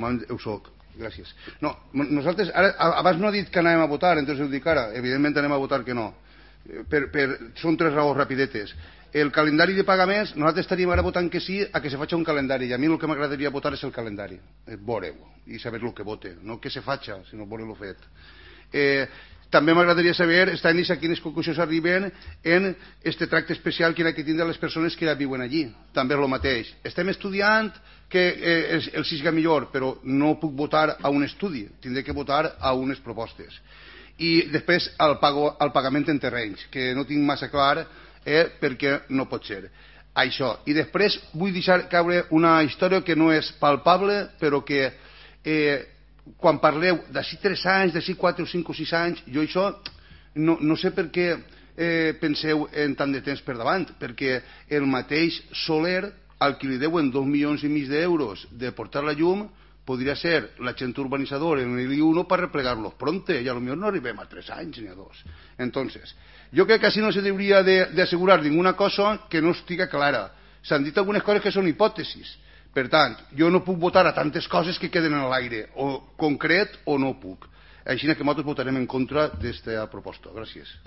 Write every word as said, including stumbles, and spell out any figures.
Ho soc, gràcies. No, nosaltres, ara, abans no ha dit que anàvem a votar, entonces ho dic ara, evidentment anem a votar que no. Per, per, són tres raons rapidetes. El calendari de pagaments, nosaltres estaríem ara votant que sí a que se faci un calendari, i a mi el que m'agradaria votar és el calendari, veure-ho, i saber el que vote, no que se faci, sinó veure-lo fet. Eh, també m'agradaria saber, estan a quines conclusions arriben en este tracte especial que hi ha que tindre les persones que ja viuen allí. També és el mateix. Estem estudiant que eh, el siga millor, però no puc votar a un estudi, tindré que votar a unes propostes. I després el, pago, el pagament en terrenys, que no tinc massa clar eh, perquè no pot ser. Això. I després vull deixar caure una història que no és palpable, però que... Eh, quan parleu d'ací tres anys, d'ací quatre o cinc o sis anys, jo això no, no sé per què eh, penseu en tant de temps per davant, perquè el mateix Soler, al que li deuen dos milions i mig d'euros de portar la llum, podria ser l'agent urbanitzador en el I uno per replegar-los pronte, i a lo millor no arribem a tres anys ni a dos. Entonces, jo crec que així no se hauria d'assegurar ninguna cosa que no estiga clara. S'han dit algunes coses que són hipòtesis. Per tant, jo no puc votar a tantes coses que queden en l'aire, o concret o no puc. Així que nosaltres votarem en contra d'esta proposta. Gràcies.